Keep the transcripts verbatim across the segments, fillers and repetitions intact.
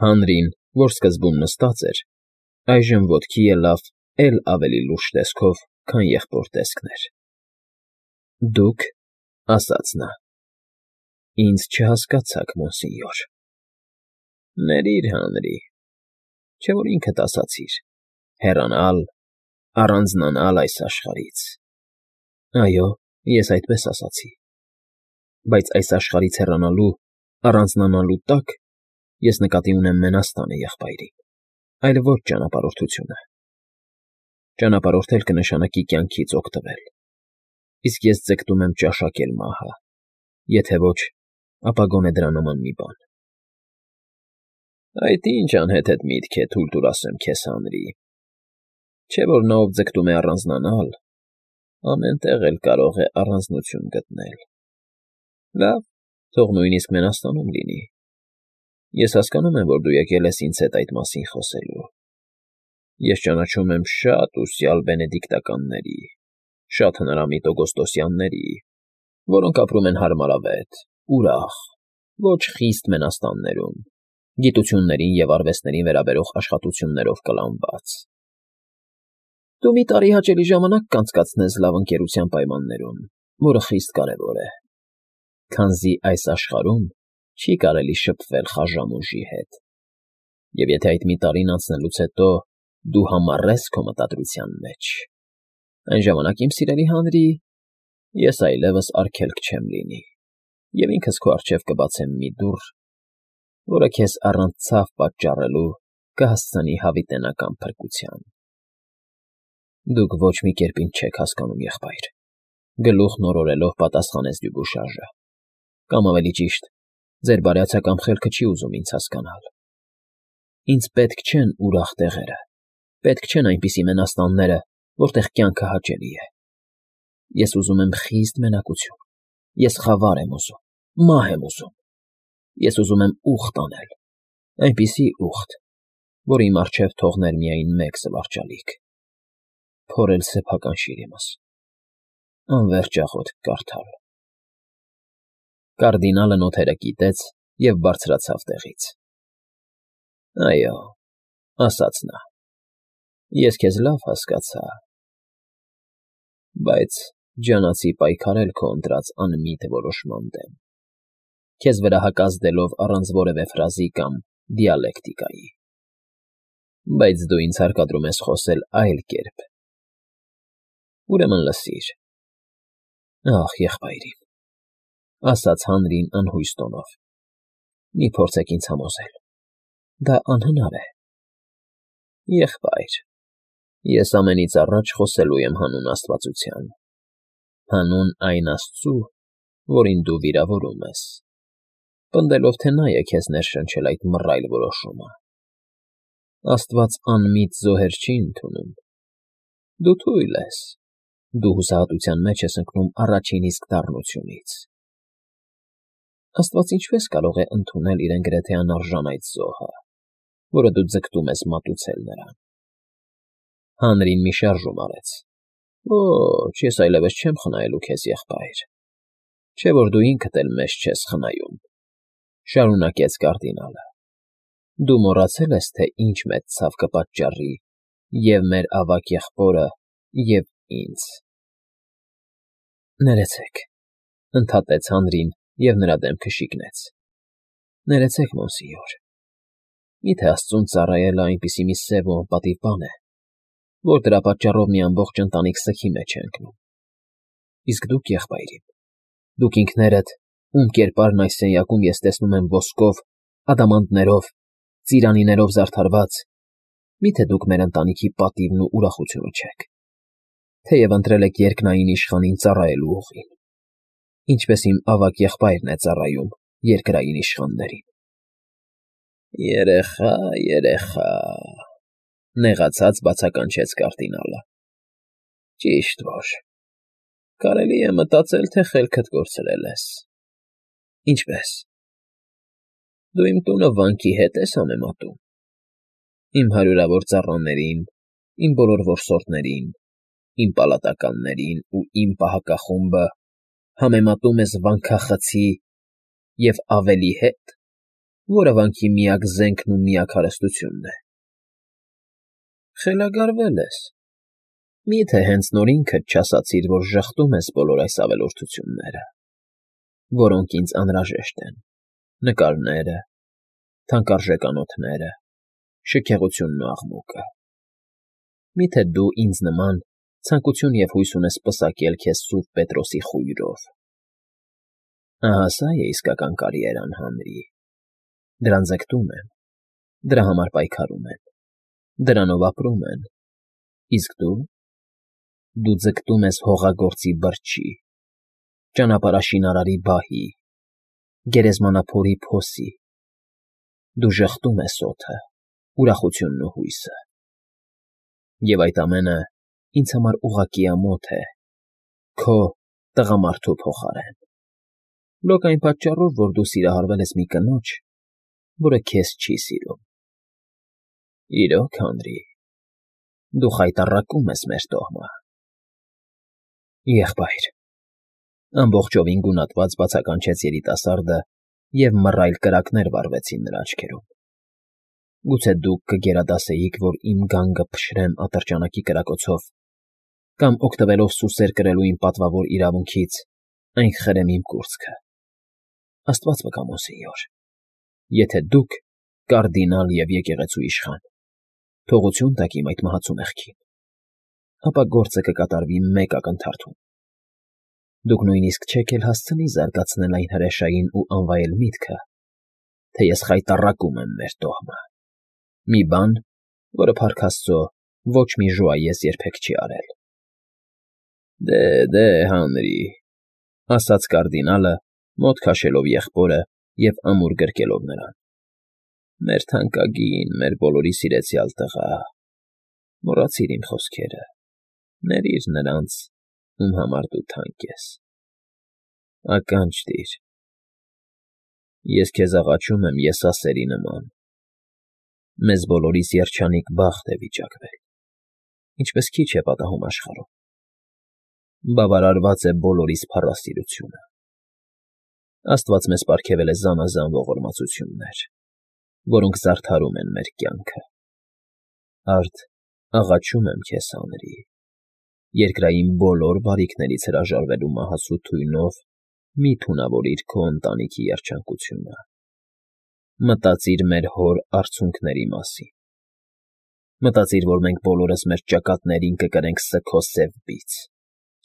Հանրին, որ սկզբում նստած էր, այժմ ոտքի ելավ էլ ավելի լուրջ տեսքով, քան եղբոր տեսքն էր։ ֊ Դուք,֊ ասաց նա,֊ ինձ չհասկացաք, մոնսինյոր։ ֊ Ներիր, Հանրի, չէ՞ որ ինքդ ասացիր՝ հեռանալ, առանձնանալ այս աշխարհից։ ֊ Այո, ես այդպես ասացի, բայց այս աշխարհից հեռանալու, առանձնանալու տակ ես նկատի ունեմ մենաստանը, եղբայրիկ, այլ ոչ ճանապարհորդությունը։ Ճանապարհորդել կնշանակի կյանքից օգտվել, իսկ ես ձգտում եմ ճաշակել մահը, եթե ոչ, ապա գոնե դրա նման մի բան։ ֊ Այդ ի՞նչ անհեթեթ միտք է, թույլ տուր ասեմ քեզ, Հանրի, չէ՞ որ նա, ով ձգտում է առանձնանալ, ամեն տեղ էլ կարող է առանձնություն գտնել։ Լավ, թող նույնիսկ մենաստանում լինի։ Ես հասկանում եմ, որ դու եկել ես ինձ հետ այդ մասին խոսելու։ Ես ճանաչում եմ շատ ուսյալ բենեդիկտականների, շատ հնարամիտ օգոստոսյանների, որոնք ապրում են հարմարավետ, ուրախ, ոչ խիստ մենաստաններում, գիտություններին և արվեստներին վերաբերող աշխատություններով կլանված։ Դու մի տարի հաճելի ժամանակ կանցկացնես լավ ընկերության պայմաններում, որը խիստ կարևոր է, քանզի այս աշխարհում չի կարելի շփվել խաժամ ուժի հետ, և եթե այդ մի տարին անցնելուց հետո դու համառես քո մտադրության մեջ, այն ժամանակ, իմ սիրելի Հանրի, ես այլևս արգելք չեմ լինի և ինքս քո առջև կբացեմ մի դուռ, որը քեզ առանց ցավ պատճառելու կհասցնի հավիտենական փրկության։ Դուք ոչ մի կերպ ինձ չեք հասկանում, եղբայր,֊ գլուխն օրորելով պատասխանեց Դյուբուշաժը,֊ կամ ավելի ճիշտ, ձեր բարյացակամ խելքը չի ուզում ինձ հասկանալ։ Ինձ պետք չեն ուրախ տեղերը, պետք չեն այնպիսի մենաստանները, որտեղ կյանքը հաճելի է։ Ես ուզում եմ խիստ մենակություն, ես խավար եմ ուզում, մահ եմ ուզում, ես ուզում եմ ուխտ անել, այնպիսի ուխտ, որ իմ առջև թողներ միայն մեկ զվարճալիք՝ փորել սեփական շիրիմս, անվերջ աղոթք կարդալ։ Կարդինալը նոթերը կիտեց և բարձրացավ տեղից։ ֊ Այո,֊ ասաց նա,֊ ես քեզ լավ հասկացա, բայց ջանացի պայքարել քո ընտրած անմիտ որոշման դեմ, քեզ վրա հակազդելով առանց որևէ ֆրազի կամ դիալեկտիկայի։ Բայց դու ինձ հարկադրում ես խոսել այլ կերպ։ Ուրեմն լսիր։ Ախ, եղբայրիմ,֊ ասաց Հանրին անհույս տոնով,֊ մի փորձեք ինձ համոզել, դա անհնար է։ Եղբայր, ես ամենից առաջ խոսելու եմ հանուն աստվածության, հանուն այն Աստծու, որին դու վիրավորում ես, պնդելով, թե նա է քեզ ներշնչել այդ մռայլ որոշումը։ Աստված անմիտ զոհեր չի ընդունում։ Դու թույլ ես, դու հուսահատության մեջ ես ընկնում առաջին իսկ դառնությունից։ Աստված ինչպե՞ս կարող է ընդունել իրեն գրեթե անարժան այդ զոհը, որը դու ձգտում ես մատուցել նրան։ Հանրին մի շարժում արեց։ Ոչ, ես այլևս չեմ խնայելու քեզ, եղբայր, չէ՞ որ դու ինքդ էլ մեզ չես խնայում,֊ շարունակեց կարդինալը։ Դու մոռացել ես, թե ինչ մեծ ցավ կպատճառի և՛ մեր ավագ եղբորը, և՛ ինձ։ Ներեցեք,֊ ընդհատեց Հանրին և նրա դեմքը շիկնեց,֊ ներեցեք, մոնսինյոր, մի՞թե աստծուն ծառայելը այնպիսի մի սև ու անպատիվ բան է, որ դրա պատճառով մի ամբողջ ընտանիք սգի մեջ է ընկնում։ Իսկ դուք, եղբայրիմ, դուք ինքներդ, ում կերպարն այս սենյակում ես տեսնում եմ ոսկով, ադամանդներով, ծիրանիներով զարդարված, մի՞թե դուք մեր ընտանիքի պատիվն ու ուրախությունը չեք, թեև ընտրել եք երկնային իշխանին ծառայելու ուղին, ինչպես իմ ավագ եղբայրն է ծառայում երկրային իշխաններին։ ֊ Երեխա, երեխա,֊ նեղացած բացականչեց կարդինալը,֊ ճիշտ որ, կարելի է մտածել, թե խելքդ կորցրել ես։ Ինչպե՞ս։ Դու իմ տունը վանքի հետ ես համեմատում, իմ հարյուրավոր ծառաներին, իմ բոլոր որսորդներին, իմ պալատականներին ու իմ պահակախումբը համեմատում ես վանքախցի և ավելի հետ, որը վանքի միակ զենքն ու միակ հարստությունն է։ Խելագարվել ես։ Մի՞թե հենց նոր ինքդ չասացիր, որ ժխտում ես բոլոր այս ավելորդությունները, որոնք ինձ անհրաժեշտ են. նկարները, թանկարժեք անոթները, շքեղությունն ու աղմուկը։ Մի՞թե դու ինձ նման ցանկություն և հույս ունես պսակել քեզ Սուրբ Պետրոսի խույրով։ Ահա սա է իսկական կարիերան, Հանրի։ Դրան ձգտում են, դրա համար պայքարում են, դրանով ապրում են, իսկ դու… դու ձգտում ես հողագործի բրջի, ճանապարհաշինարարի բահի, գերեզմանափորի փոսի, դու ժխտում ես օդը, ուրախությունն ու հույսը։ Եվ այդ ամենը ինձ համար ուղղակի ամոթ է, քո տղամարդու փոխարեն, լոկ այն պատճառով, որ դու սիրահարվել ես մի կնոջ, որը քեզ չի սիրում։ Իրոք, Հանրի, դու խայտառակում ես մեր տոհմը։ Եղբայր,֊ ամբողջովին գունատված բացականչեց երիտասարդը, և մռայլ կրակներ վառվեցին նրա աչքերում։ Գուցե դուք կգերադասեիք, որ իմ գանգը փշրեմ ատրճանակի կրակոցով կամ, օգտվելով սուսեր կրելու իմ պատվավոր իրավունքից, այն խրեմ իմ կուրծքը։ Աստված վկա, մոնսենյոր, եթե դուք, կարդինալ և եկեղեցու իշխան, թողություն տաք իմ այդ մահացու մեղքին, ապա գործը կկատարվի մեկ ակնթարթում։ Դուք նույնիսկ չեք էլ հասցնի զարգացնել այն հրեշային ու անվայել միտքը, թե ես խայտառակում եմ մեր տոհմը, մի բան, որը, փառք Աստծո, ոչ մի ժուայես երբեք չի արել։ Դե, դե, Հանրի,֊ ասաց կարդինալը, մոտ քաշելով եղբորը և ամուր գրկելով նրան,֊ մեր թանկագին, մեր բոլորի սիրեցյալ տղա, մոռացիր իմ խոսքերը, ներիր նրանց, ում համար դու թանկ ես, ականջ տիր… Ես քեզ աղաչում եմ եսասերի նման, մեզ բոլորիս երջանիկ բախտ է վիճակվել, ինչպես քիչ է պատահում աշխարհում, բավարարված է բոլորիս փառասիրությունը, Աստված մեզ պարգևել է զանազան ողորմածություններ, որոնք զարդարում են մեր կյանքը, արդ աղաչում եմ քեզ, Հանրի, երկրային բոլոր բարիքներից հրաժարվելու մահացու թույնով մի՛ թունավորիր քո ընտանիքի երջանկությունը, մտածիր մեր հոր արցունքների մասին, մտածիր, որ մենք բոլորս մեր ճակատներին կկրենք սգո սև բիծ,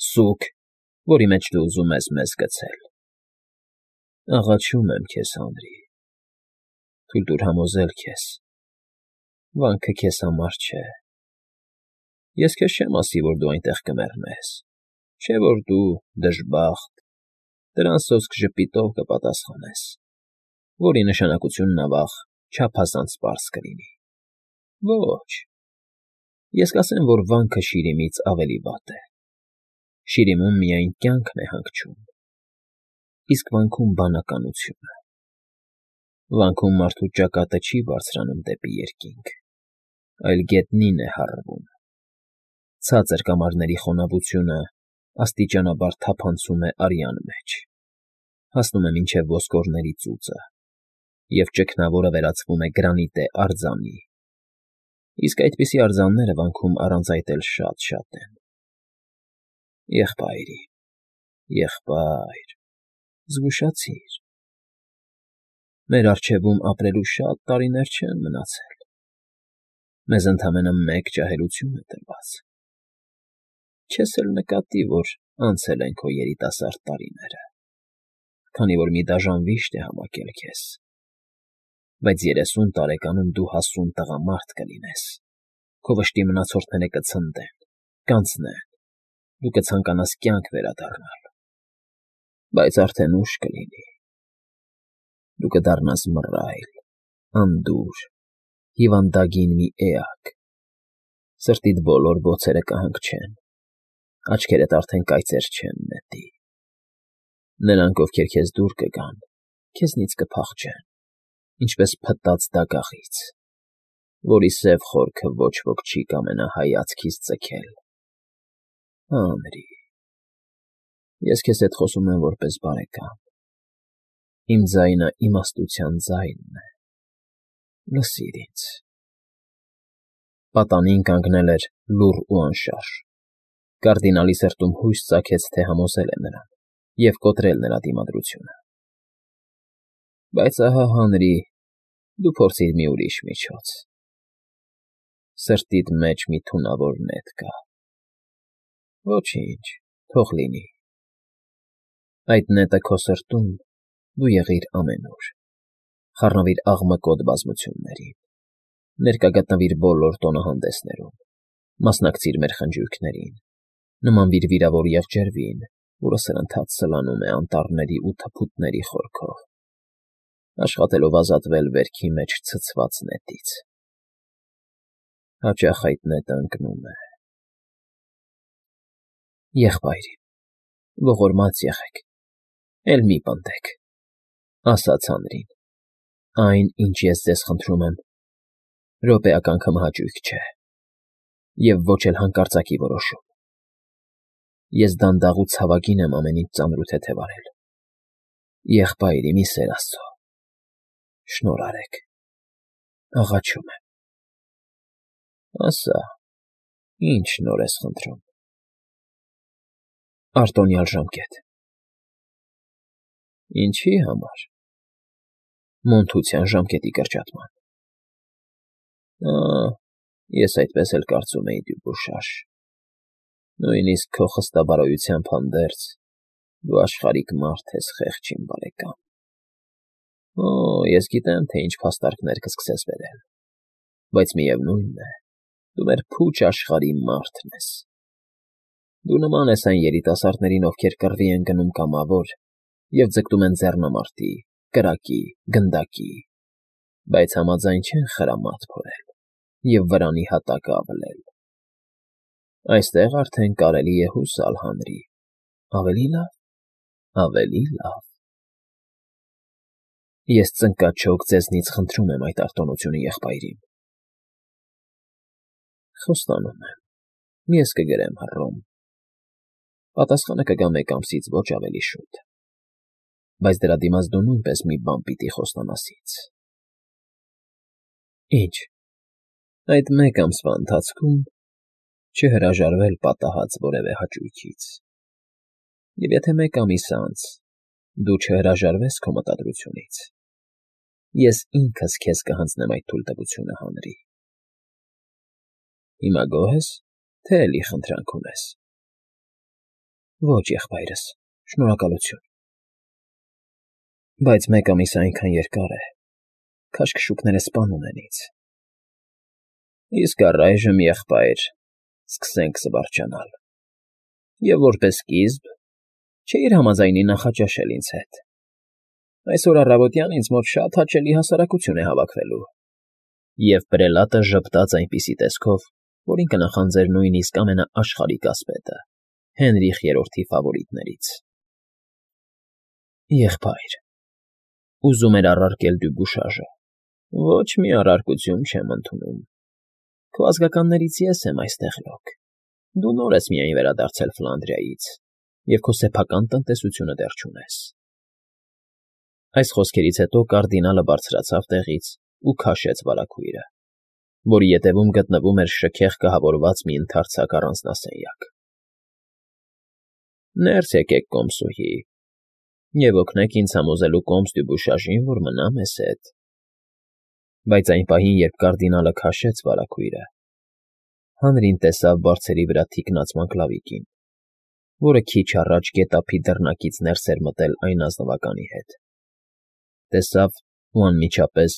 սուգ, որի մեջ դու ուզում ես մեզ գցել։ Աղաչում եմ քեզ, Հանրի, թույլ տուր համոզել քեզ. վանքը քեզ համար չէ։ Ես քեզ չեմ ասի, որ դու այնտեղ կմեռնես, չէ՞ որ դու, դժբախտ, դրան սոսկ ժպիտով կպատասխանես, որի նշանակությունն, ավաղ, չափազանց պարզ կլինի։ Ոչ, ես կասեմ, որ վանքը շիրիմից ավելի վատ է, շիրիմում միայն կյանքն է հանգչում, իսկ վանքում բանականությունը, վանքում մարդու ճակատը չի բարձրանում դեպի երկինք, այլ գետնին է հառվում, ցածր կամարների խոնավությունը աստիճանաբար թափանցում է արյան մեջ, հասնում է մինչև ոսկորների ծուծը, և ճգնավորը վերածվում է գրանիտե արձանի, իսկ այդպիսի արձանները վանքում առանց այդ էլ շատ֊շատ են։ Եղբայրի, եղբայր, զգուշացիր… Մեր առջևում ապրելու շատ տարիներ չեն մնացել, մեզ ընդամենը մեկ ջահելություն է տրված, չես էլ նկատի, որ անցել են քո երիտասարդ տարիները, քանի որ մի դաժան վիշտ է համակել քեզ, բայց երեսուն տարեկանում դու հասուն տղամարդ կլինես, քո վշտի մնացորդները կցնդեն, կանցնեն, դու կցանկանաս կյանք վերադառնալ, բայց արդեն ուշ կլինի, դու կդառնաս մռայլ, անդուր, հիվանդագին մի էակ, սրտիդ բոլոր բոցերը կհանգչեն, աչքերդ արդեն կայծեր չեն նետի, նրանք, ովքեր քեզ դուր կգան, քեզնից կփախչեն, ինչպես փտած դագաղից, որի սև խորքը ոչ ոք չի կամենա հայացքից ձգել։ Հանրի, ես քեզ հետ խոսում եմ որպես բարեկամ, իմ ձայնը իմաստության ձայնն է, Լսիր ինձ։ Պատանին կանգնել էր լուռ ու անշարժ։ Կարդինալի սրտում հույս ծագեց, թե համոզել է նրան և կոտրել նրա դիմադրությունը։ Բայց ահա, Հանրի, դու փորձիր մի ուրիշ միջոց… Սրտիդ մեջ մի թունավոր նետ կա… Ոչինչ, թող լինի… Այդ նետը քո սրտում դու եղիր ամենուր, խառնվիր աղմկոտ բազմություններին, ներկա գտնվիր բոլոր տոնահանդեսներում, մասնակցիր մեր խնջույքներին, նմանվիր վիրավոր եղջերվին, որը սրընթաց սլանում է անտառների ու թփուտների խորքով, աշխատելով ազատվել վերքի մեջ ցցված նետից… Հաճախ այդ նետը ընկնում է… Եղբայրի, ողորմած եղեք, էլ մի պնդեք, ֊ ասաց Հանրին, ֊ այն, ինչ ես ձեզ խնդրում եմ, րոպեական քմահաճույք չէ և ոչ էլ հանկարծակի որոշում. ես դանդաղ ու ցավագին եմ ամեն ինչ ծանր ու թեթև արել… Եղբայր իմ, ի սեր Աստծո, շնորհ արեք, աղաչում եմ… Ասա, ի՞նչ շնորհ ես խնդրում… Արտոնյալ ժամկետ… Ինչի՞ համար… Մոնթության ժամկետի կրճատման… Ա՜, ես այդպես էլ կարծում էի, Դյուբուշար… Նույնիսկ քո խստաբարոյությամբ հանդերձ, դու աշխարհիկ մարդ ես, խեղճ իմ բարեկամ… Օ, ես գիտեմ, թե ինչ փաստարկներ կսկսես բերել, բայց միևնույն է, դու մեր փուչ աշխարհի մարդն ես… Դու նման ես այն երիտասարդներին, ովքեր կռվի են գնում կամավոր և ձգտում են ձեռնամարտի, կրակի, գնդակի, բայց համաձայն չեն խրամատ փորել և վրանի հատակը ավլել… Այստեղ արդեն կարելի է հուսալ, Հանրի, ավելի լավ, ավելի լավ… Ես ծնկաչոք ձեզնից խնդրում եմ այդ արտոնությունը, եղբայրիմ… Խոստանում եմ, ես կգրեմ հռոմ… Պատասխանը կգա մեկ ամսից ոչ ավելի շուտ… Բայց դրա դիմաց դու նույնպես մի բան պիտի խոստանաս ինձ… Ի՞նչ… Այդ մեկ ամսվա ընթացքում չհրաժարվել պատահած որևէ հաճույքից… Եվ եթե մեկ ամիս անց դու չհրաժարվես քո մտադրությունից, ես ինքս քեզ կհանձնեմ այդ թույլտվությունը, Հանրի… Հիմա գոհ ե՞ս, թե էլի խնդրանք ունես… Ոչ, եղբայրս, շնորհակալություն… Բայց մեկ ամիսը այնքան երկար է, քաշքշուկները սպանում են ինձ… Իսկ առայժմ, եղբայր, սկսենք զվարճանալ… Եվ որպես սկիզբ, չէի՞ր համաձայնի նախաճաշել ինձ հետ… Այսօր առավոտյան ինձ մոտ շատ հաճելի հասարակություն է հավաքվելու… Եվ պրելատը ժպտաց այնպիսի տեսքով, որին կնախանձեր նույնիսկ ամենաաշխարհիկ ասպետը, Հենրիխ Երրորդի ֆավորիտներից… Եղբայր, ուզում էր առարկել Դյուբուշաժը, ոչ մի առարկություն չեմ ընդունում… Քո ազգականներից ես եմ այստեղ լոկ, դու նոր ես միայն վերադարձել Ֆլանդրիայից և քո սեփական տնտեսությունը դեռ չունես… Այս խոսքերից հետո կարդինալը բարձրացավ տեղից ու քաշեց վարագույրը, որի ետևում գտնվում էր շքեղ կահավորված մի ընդարձակ առանձնասենյակ։ ֊ Ներս եկեք, կոմսուհի, և օգնեք ինձ համոզելու կոմս Դյուբուշաժին, որ մնա մեզ հետ… Բայց այն պահին, երբ կարդինալը քաշեց վարագույրը, Հանրին տեսավ բարձերի վրա թիկնած մանգլավիկին, որը քիչ առաջ գետափի դռնակից ներս էր մտել այն ազնվականի հետ… Տեսավ ու անմիջապես,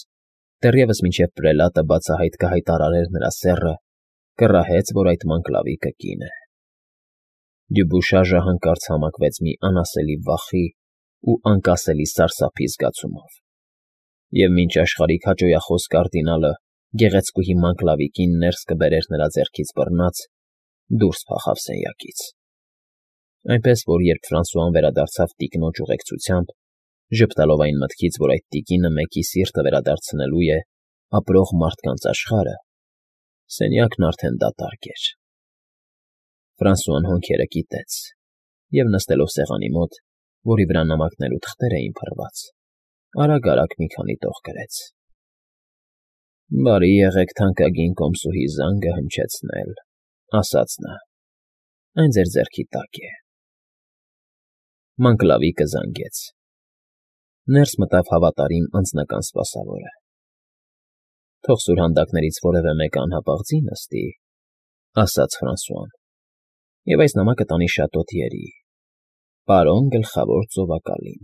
դեռևս մինչև պրելատը բացահայտ կհայտարարեր նրա սեռը, կռահեց, որ այդ մանգլավիկը կին է… Դյուբուշաժը հանկարծ համակվեց մի անասելի վախի ու անկասելի սարսափի զգացումով, և մինչ աշխարհիկ հաճոյախոս կարդինալը գեղեցկուհի մանգլավիկին ներս կբերեր նրա ձեռքից բռնած, դուրս փախավ սենյակից… Այնպես որ, երբ Ֆրանսուան վերադարձավ տիկնոջ ուղեկցությամբ, ժպտալով այն մտքից, որ այդ տիկինը մեկի սիրտը վերադարձնելու է ապրող մարդկանց աշխարհը, սենյակն արդեն դատարկ էր… Ֆրանսուան հոնքերը կիտեց և, նստելով սեղանի մոտ, որի վրա նամակներ ու թղթեր էին փռված, արագ֊արագ մի քանի տող գրեց… Բարի եղեք թանկագին կոմսուհի զանգը հնչեցնել,֊ ասաց նա։֊ Այն ձեր ձեռքի տակ է… Մանգլավիկը զանգեց։ Ներս մտավ հավատարիմ անձնական սպասավորը։ ֊ Թող սուրհանդակներից որևէ մեկը անհապաղ ձի նստի,֊ ասաց Ֆրանսուան,֊ և այս նամակը տանի շատ օդ երի… Պարոն Գլխավոր ծովակալին։